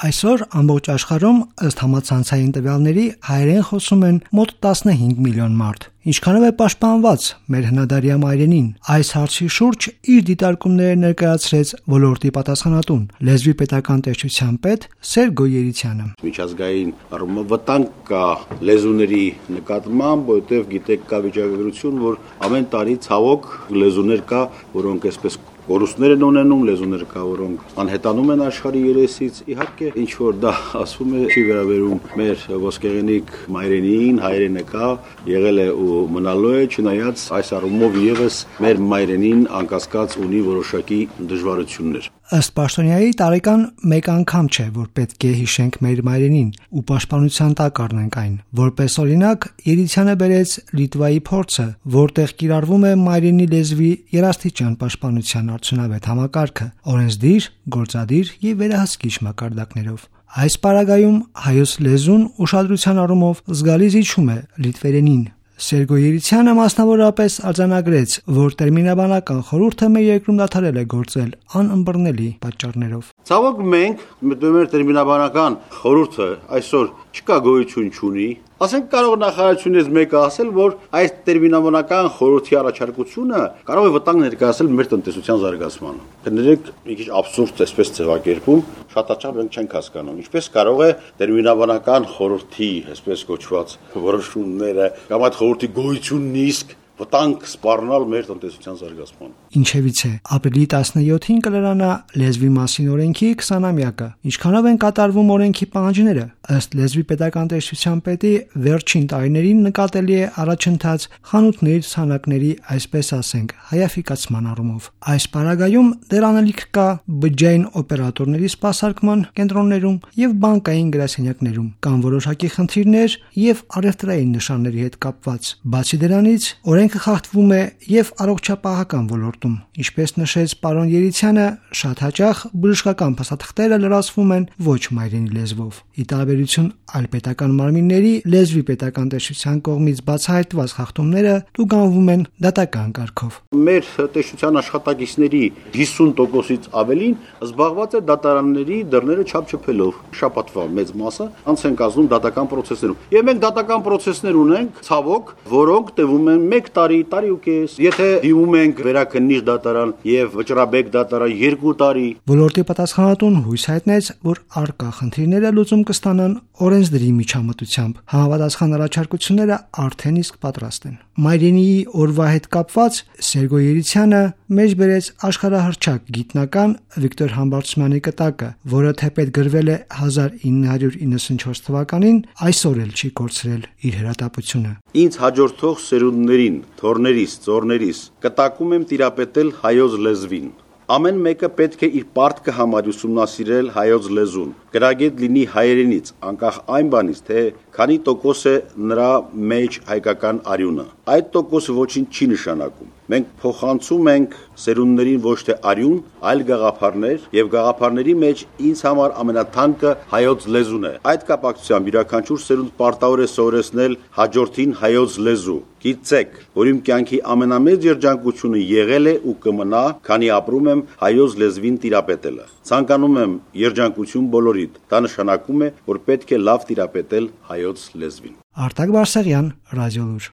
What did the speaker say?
Այսօր ամբողջ աշխարհում ըստ համացանցային տվյալների հայերեն խոսում են մոտ 15 միլիոն մարդ։ Ինչքանով է պաշտպանված մեր հնադարյա մայրենին։ Այս հարցի շուրջ իր դիտարկումները ներկայացրեց ոլորտի պատասխանատուն լեզվի պետական տեսչության պետ Սերգո Երիցյանը։ Միջազգային առումով վտանգ կա լեզուների նկատմամբ, որովհետև գիտեք կա վիճակագրություն, որ ամեն տարի ցավոք լեզուներ կա, որոնք այսպես կորուստներ են ունենում, լեզուներ կա, որոնք անհետանում են աշխարհի երեսից։ Իհարկե, ինչ որ դա ասվում է, չի վերաբերում մեր ոսկեղենիկ մայրենին, հայրենը կա, եղել է ու մնալու է, չնայած այս առումով եւս մեր մայրենին անկասկած ունի որոշակի դժվարություններ։ Ըստ պաշտոնյայի տարեկան մեկ անգամ չէ, որ պետք է հիշենք մեր մայրենին ու պաշտպանության տակ առնենք այն։ Որպես օրինակ, Երիցյանը բերեց Լիտվայի փորձը, որտեղ կիրառվում է մայրենի լեզվի երաստիճան պաշտպանության արդյունավետ համակարգը՝ օրենսդիր, գործադիր եւ վերահսկիչ մակարդակներով։ Այս պարագայում հայոց լեզուն ուշադրության առումով զգալի զիջում է լիտվերենին։ Սերգո Երիցյանը մասնավորապես արձանագրեց, որ տերմինաբանական խորհուրդը մեր երկրում դադարել է գործել անըմբռնելի պատճառներով։ Ցավոք մենք մեր տերմինաբանական խորհուրդը այսօր չկա գոյություն չունի։ Ասենք կարող նախարարությունից մեկը ասել, որ այս տերմինաբանական խորհրդի առաջարկությունը կարող է վտանգ ներկայացնել մեր տնտեսության զարգացմանը։ Կներեք, մի քիչ աբսուրդ էսպես ձևակերպում, շատ հաճախ մենք չենք հասկանում, ինչպես կարող է տերմինաբանական խորհրդի, այսպես կոչված, որոշումները կամ այդ խորհրդի գոյությունն իսկ վտանգ սպառնալ մեր տնտեսության զարգացման։ Ինչևից է, ապրիլի 17-ին կլրանա լեզվի մասին օրենքի 20-ամյակը։ Ինչքանով են կատարվում օրենքի պահանջները։ Ըստ լեզվի պետական տեսչության պետի վերջին տարիներին նկատելի է առաջընթաց խանութների ցանակների, այսպես ասենք, հայաֆիկացման առումով։ Այս պարագայում դեռ անելիք կա բջջային օպերատորների սպասարկման կենտրոններում եւ բանկային գրասենյակներում, կան որոշակի խնդիրներ եւ առևտրային նշանների հետ կապված։ Բացի դրանից, օրենքը խախտվում է եւ առողջապահական ոլորտում, ինչպես նշեց պարոն Երիցյանը, շատ հաճախ բժշկական փաստաթղթերը լրացվում են ոչ մայրենի լեզվով։ Ի տարբերություն այլ պետական մարմինների, լեզվի պետական տեսչության կողմից բացահայտված խախտումները տուգանվում են դատական կարգով։ Մեր տեսչության աշխատակիցների 50%-ից ավելին զբաղված է դատարանների դռները չափչփելով։ Շաբաթվա մեծ մասը անց են կազմում դատական պրոցեսներում։ Եվ մենք դատական պրոցեսներ ունենք, ցավոք, որոնք տևում են 1 տարի, տարի ու կես։ Եթե դիմում ենք վերաքննիչ դատարան եւ վճռաբեկ դատարան 2 տարի։ Ոլորտի պատասխանատուն հույս հայտնեց, որ առկա խնդիրները լուծում կստանան օրենսդրի միջամտությամբ։ Համապատասխան առաջարկությունները արդեն իսկ պատրաստ են։ Մայրենիի օրվա հետ կապված Սերգո Երիցյանը մեջ բերեց աշխարհահռչակ գիտնական Վիկտոր Համբարձումյանի կտակը, որը թեպետ գրվել է 1994 թվականին, այսօր էլ չի կորցրել իր հրատապությունը։ Ինձ հաջորդող սերունդներին, թորներիս, ծորներիս կտակում եմ տիրապետել հայոց լեզվին։ Ամեն մեկը պետք է իր պարտքը համարի ուսումնասիրել հայոց լեզուն, գրագետ լինի հայերենից, անկախ այն բանից, թե քանի տոկոս է նրա մեջ հայկական արյունը։ Այդ տոկոսը ոչինչ չի նշանակում։ Մենք փոխանցում ենք սերունդներին ոչ թե արյուն, այլ գաղափարներ, եւ գաղափարների մեջ ինձ համար ամենաթանկը հայոց լեզուն է։ Այդ կապակցությամբ յուրաքանչյուր սերունդ պարտավոր է սովորեցնել հաջորդին հայոց լեզու։ Գիտեք, որ իմ կյանքի ամենամեծ երջանկությունը եղել է ու կմնա, քանի ապրում եմ հայոց լեզվին տիրապետելը։ Ցանկանում եմ երջանկություն բոլորիդ։ Դա նշանակում է, որ պետք է լավ տիրապետել հայոց լեզվին։ Արտակ Բարսեղյան, Ռադիոլուր։